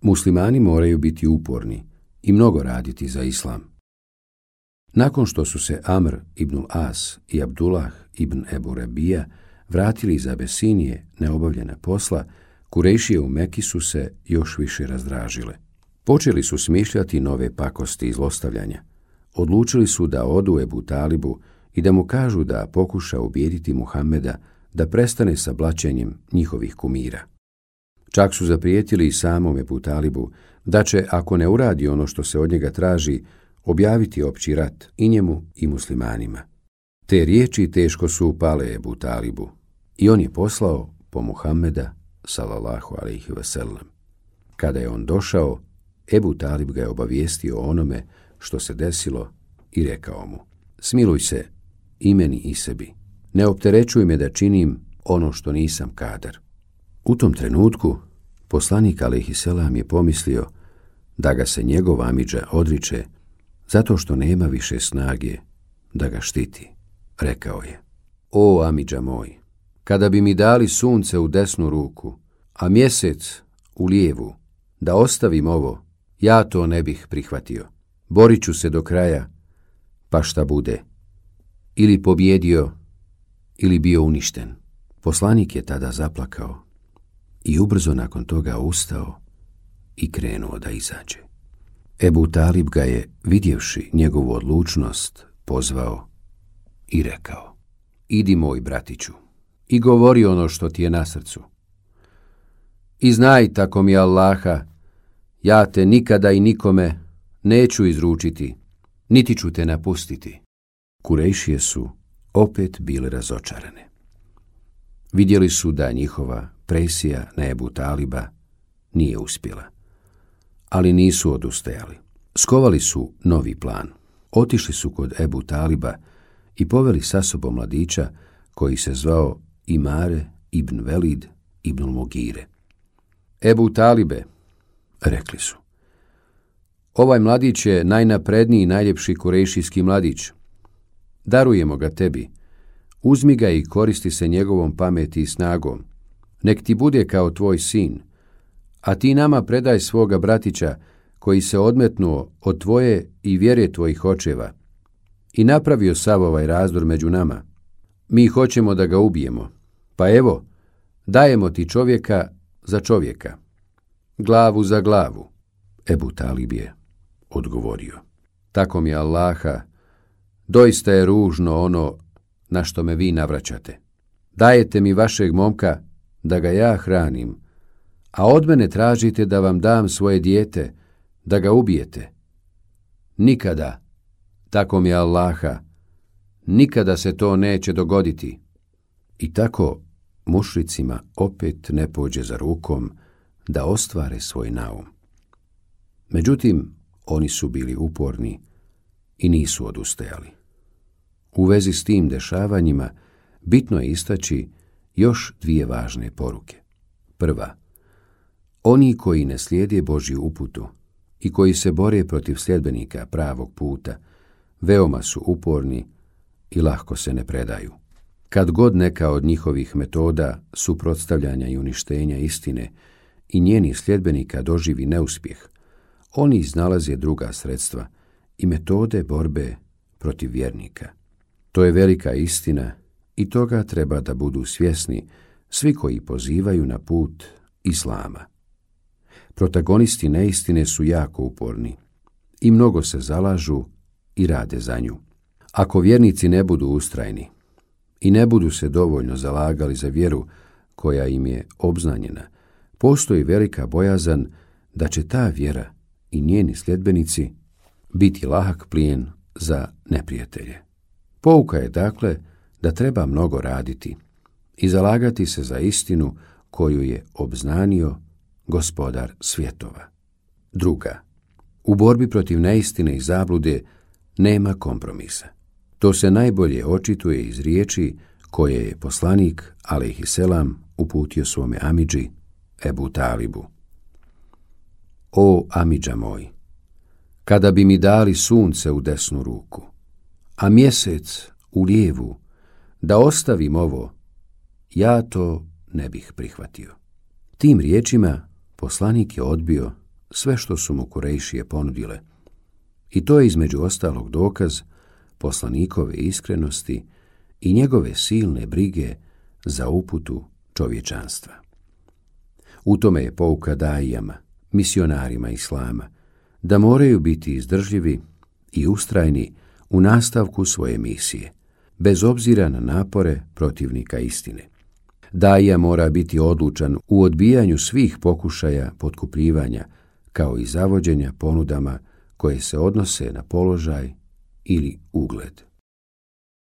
Muslimani moraju biti uporni i mnogo raditi za islam. Nakon što su se Amr ibn As i Abdullah ibn Ebu Rebija vratili iz Abesinije neobavljena posla, Kurejšije u Meki su se još više razdražile. Počeli su smišljati nove pakosti i zlostavljanja. Odlučili su da odu Ebu Talibu i da mu kažu da pokuša ubijediti Muhameda da prestane sa blaćenjem njihovih kumira. Čak su zaprijetili i samom Ebu Talibu da će, ako ne uradi ono što se od njega traži, objaviti opći rat i njemu i muslimanima. Te riječi teško su upale Ebu Talibu i on je poslao po Muhameda sallallahu alejhi ve sellem. Kada je on došao, Ebu Talib ga je obavijestio o onome što se desilo i rekao mu: smiluj se i meni i sebi, ne opterećuj me da činim ono što nisam kadar. U tom trenutku poslanik alejhi selam je pomislio da ga se njegov amidža odriče zato što nema više snage da ga štiti. Rekao je: o amidža moj, kada bi mi dali sunce u desnu ruku, a mjesec u lijevu, da ostavim ovo, ja to ne bih prihvatio. Borit ću se do kraja, pa šta bude, ili pobjedio, ili bio uništen. Poslanik je tada zaplakao i ubrzo nakon toga ustao i krenuo da izađe. Ebu Talib ga je, vidjevši njegovu odlučnost, pozvao i rekao: idi moj bratiću i govori ono što ti je na srcu. I znaj, tako mi Allaha, ja te nikada i nikome neću izručiti, niti ću te napustiti. Kurejšije su opet bile razočarane. Vidjeli su da njihova presija na Ebu Taliba nije uspjela, ali nisu odustajali. Skovali su novi plan. Otišli su kod Ebu Taliba i poveli sa sobom mladića koji se zvao Imare ibn Velid ibn Mugire. Ebu Talibe, rekli su, ovaj mladić je najnapredniji i najljepši kurejšijski mladić. Darujemo ga tebi. Uzmi ga i koristi se njegovom pameti i snagom. Nek ti bude kao tvoj sin, a ti nama predaj svoga bratića koji se odmetnuo od tvoje i vjere tvojih očeva i napravio sav ovaj razdor među nama. Mi hoćemo da ga ubijemo, pa evo, dajemo ti čovjeka za čovjeka, glavu za glavu. Ebu Talib je odgovorio: tako mi Allaha, doista je ružno ono na što me vi navraćate. Dajete mi vašeg momka da ga ja hranim, a od mene tražite da vam dam svoje dijete, da ga ubijete. Nikada, tako mi Allaha, nikada se to neće dogoditi. I tako mušricima opet ne pođe za rukom da ostvare svoj naum. Međutim, oni su bili uporni i nisu odustajali. U vezi s tim dešavanjima bitno je istaći još dvije važne poruke. Prva, oni koji ne slijede Božju uputu i koji se bore protiv sljedbenika pravog puta, veoma su uporni i lahko se ne predaju. Kad god neka od njihovih metoda suprotstavljanja i uništenja istine i njenih sljedbenika doživi neuspjeh, oni iznalaze druga sredstva i metode borbe protiv vjernika. To je velika istina i toga treba da budu svjesni svi koji pozivaju na put Islama. Protagonisti neistine su jako uporni i mnogo se zalažu i rade za nju. Ako vjernici ne budu ustrajni i ne budu se dovoljno zalagali za vjeru koja im je obznanjena, postoji velika bojazan da će ta vjera i njeni sljedbenici biti lahak plijen za neprijatelje. Pouka je dakle da treba mnogo raditi i zalagati se za istinu koju je obznanio Gospodar svjetova. Druga, u borbi protiv neistine i zablude nema kompromisa. To se najbolje očituje iz riječi koje je poslanik alejhi selam uputio svome amidži Ebu Talibu. O amidža moj, kada bi mi dali sunce u desnu ruku, a mjesec u lijevu, da ostavim ovo, ja to ne bih prihvatio. Tim riječima poslanik je odbio sve što su mu Kurejšije ponudile. I to je između ostalog dokaz poslanikove iskrenosti i njegove silne brige za uputu čovječanstva. U tome je pouka daijama, misionarima islama, da moraju biti izdržljivi i ustrajni u nastavku svoje misije, bez obzira na napore protivnika istine. Daija mora biti odlučan u odbijanju svih pokušaja potkupljivanja, kao i zavođenja ponudama koje se odnose na položaj ili ugled.